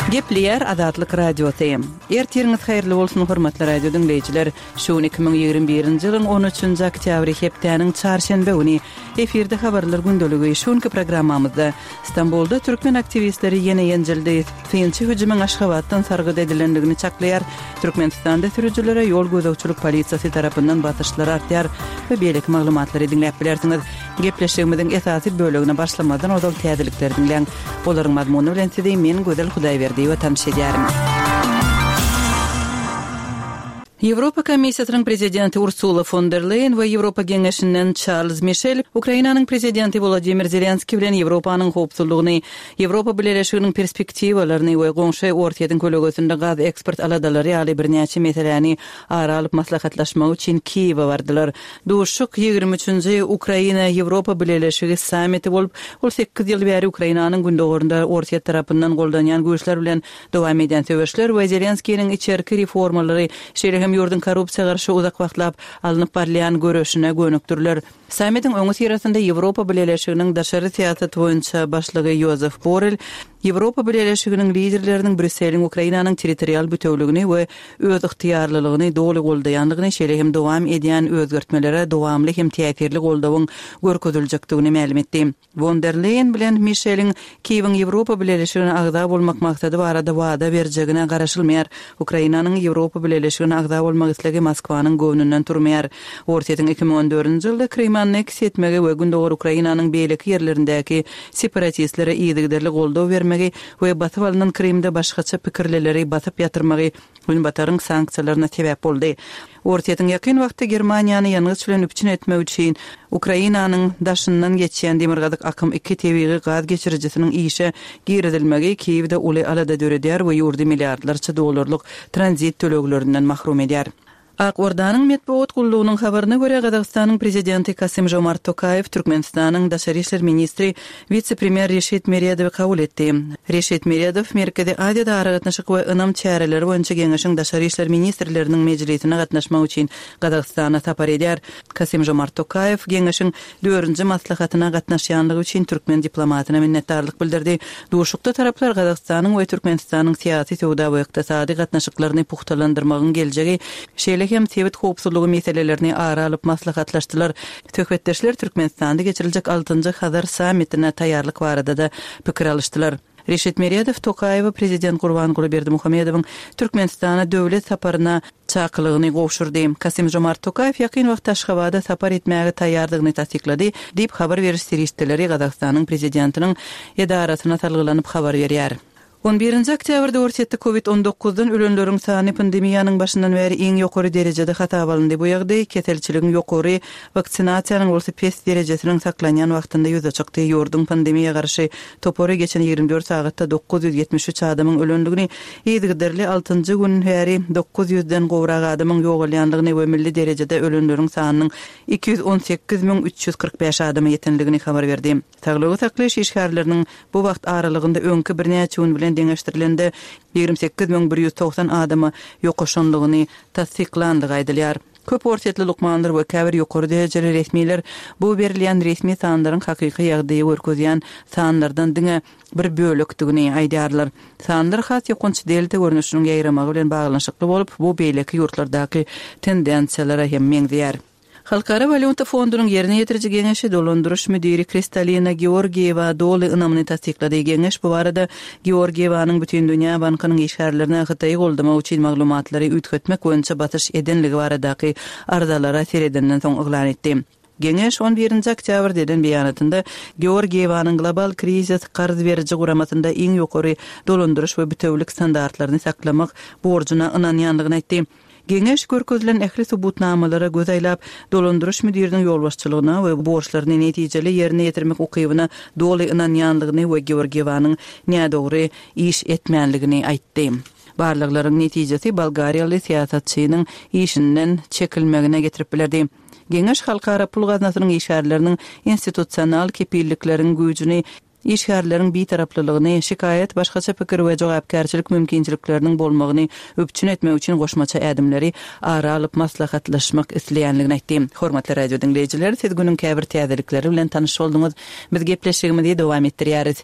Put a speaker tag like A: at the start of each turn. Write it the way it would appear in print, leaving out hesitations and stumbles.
A: Gepleýär Azatlyk Radiosy. Ertiriňiz haýyrly bolsun, hormatly radio diňleýjiler! Şu gün 2021-nji ýylyň on üçünji oktýabry, hepdäniň çarşenbe güni. Efirde Habarlar gündeligi. Şu günki programmamyzda, Stambulda türkmen aktiwistleri ýene ýenjildi, synçy hüjümiň Aşgabatdan sargyt edilendigini çaklaýar, Türkmenistanda sürüjilere ýol gözegçilik polisiýasy tarapyndan basyşlar artýar we beýleki maglumatlary diňläp bilersiňiz. Gepleşigimiziň esasy bölegine başlamazdan ozal täzelikleri diňläň. Olaryň mazmuny bilen sizi men Gözel Hudaýberdiýewa tanyş edýärin. Ýewropa Komissiýasynyň Prezidenti Ursula fon der Leýen we Ýewropa Geňeşinden Çarlz Mişel Ukrainanyň Prezidenti Wolodymyr Zelenskiý bilen Ýewropanyň howpsuzlygyny, Ýewropa Bileleşiginiň perspektiwalaryny we goňşy Orsýetiň kölegesinde gaz eksport aladalary ýaly birnäçe meseläni ara alyp maslahatlaşmak üçin Kiýewe bardylar. Duşuşyk ýigrimi üçünji Ukraina, Ýewropa Bileleşigi sammiti bolup, ol sekiz ýyl bäri Ukrainanyň gündogarynda Orsýet tarapyndan goldanýan güýçler bilen dowam edýän söweşler we Zelenskiniň içerki reformalary, şeýle hem ýurduň korrupsiýa garşy uzak wagtlap alnyp barylýan göreşine gönükdiriler. Sammitiň öňüsyrasynda Ýewropa Bileleşiginiň daşary syýasat boýunça başlygy Ýozef Borrel Ýewropa Bileleşiginiň liderleriniň Brýusseliň Ukrainanyň territorial bütewligini we özygtyýarlylygyny doly goldaýandygyny, şeýle hem dowam edýän özgertmelere dowamly hem täsirli goldawyň görkeziljekdigini mälim etdi. Won der Leýen bilen Mişeliň Kiýewiň Ýewropa Bileleşigine agza bolmak maksady barada wada berjegine garaşylmaýar. Ukrainanyň Ýewropa Bileleşigine agza bolmak islegi Moskwanyň göwnünden turmaýar. Orsýetiň 2014-nji ýylda Krymy anneksiýa etmegi we gündogar Ukrainanyň beýleki ýerlerindäki separatistlere yzygiderli goldaw bermegi we basyp alnan Krymda başgaça pikirlileri basyp ýatyrmagy Günbataryň sanksiýalaryna sebäp boldy. Orsýetiň ýakyn wagtda Germaniýany ýangyç bilen üpjün etmek üçin Ukrainanyň daşyndan geçýän Demirgazyk akym iki tebigy gaz geçirijisiniň işe girizilmegi Kiýewde uly alada döredýär we ýurdy milliardlarça dollarlyk tranzit töleglerinden mahrum edýär. Ak Ordanyň metbugat gullugynyň habaryna görä, Gazagystanyň Prezidenti Kasym-Žomart Tokaýew Türkmenistanyň daşary işler ministri, wise-premýer Reşit Meredowy kabul etdi. Reşit Meredow Merkezi Aziýada aragatnaşyk we ynam çäreleri boýunça geňeşiň daşary işler ministrleriniň mejlisine gatnaşmak üçin Gazagystana sapar edýär. Kasym-Žomart Tokaýew geňeşiň dördünji maslahatyna gatnaşýanlygy üçin türkmen diplomatyna minnetdarlyk bildirdi. Duşuşykda taraplar Gazagystanyň we Türkmenistanyň syýasy, söwda we ykdysady gatnaşyklaryny pugtalandyrmagyň geljegi, şeýle hem sebit howpsuzlygy meselelerini ara alyp maslahatlaşdylar. Söhbetdeşler Türkmenistanda geçiriljek altynjy Hazar sammitine taýýarlyk barada-da pikir alyşdylar. Reşit Meredow Tokaýewe Prezident Gurbanguly Berdimuhamedowyň Türkmenistana döwlet saparyna çakylygyny gowşurdy. Kasym-Žomart Tokaýew ýakyn wagtda Aşgabada sapar etmäge taýýardygyny tassyklady, diýip, habar beriş serişdeleri Gazagystanyň Prezidentiniň edarasyna salgylanyp habar berýär. On birinji oktýabrda Orsýetde Covid on dokuzdan ölenleriň sany pandemiýanyň başyndan bäri iň ýokary derejede hasaba alyndy. Bu ýagdaý keselçiligiň ýokary, waksinasiýanyň bolsa pes derejesiniň saklanýan wagtynda ýüze çykdy. Ýurduň pandemiýa garşy topary geçen 24 sagatda 973 adamyň ölendigini, yzygiderli altynjy gün bäri 900-den gowrak adamyň ýogalýandygyny we milli derejede ölenleriň sanynyň 218 345 adama ýetendigini habar berdi. Saglygy saklaýyş işgärleriniň bu wagt aralygynda öňki birnäçe gün bilen deňeşdirilende 28 190 adama ýokaşanlygyny tassyklandygy aýdylýar. Köp orsýetli lukmanlar we käbir ýokary derejeli resmiler bu berilýän resmi sanlaryň hakyky ýagdaýy görkezýän sanlardan diňe bir bölekdigini aýdýarlar. Sanlar has ýokanç delta görnüşiniň ýaýramagy bilen baglanyşykly bolup, bu beýleki ýurtlardaky tendensiýalara hem meňzeýär. Halkara walýuta fondunyň ýerine ýetiriji geňeşi dolandyryş müdiri Kristalina Georgiýewa doly ynamyny tassyklady. Geňeş bu barada Georgiýewanyň Bütindünýä bankynyň işgärlerine Hytaýy goldamak üçin maglumatlary üýtgetmek boýunça basyş edenligi baradaky arzalara seredenden soň yglan etdi. Geňeş on birinji oktýabrda eden beýanatynda Georgiýewanyň Global krizis karz beriji guramasynda iň ýokary dolandyryş we bitewülik standartlaryny saklamak borjuna ynanýandygyny aýtdy. Geňeş görkezilen ähli subutnamalara göz aýlap, dolandyryş müdiriniň ýolbaşçylygyna we borçlaryny netijeli ýerine ýetirmek ukybyna doly ynanýandygyny we Georgiýewanyň nädogry iş etmänligini aýtdy. Barlaglaryň netijesi bolgariýaly syýasatçynyň işinden çekilmegine getirip bilerdi. Geňeş Halkara pul gaznasynyň işgärleriniň institusional kepillikleriň güýjüni işgärleriň bitaraplylygyny, şikaýat, başgaça pikir we jogapkärçilik mümkinçilikleriniň bolmagyny üpjün etmek üçin goşmaça ädimleri ara alyp maslahatlaşmak isleýändigini aýtdy. Hormatly radio diňleýjiler, siz günüň käbir täzelikleri bilen tanyş bolduňyz. Biz gepleşigimizi dowam etdirýäris.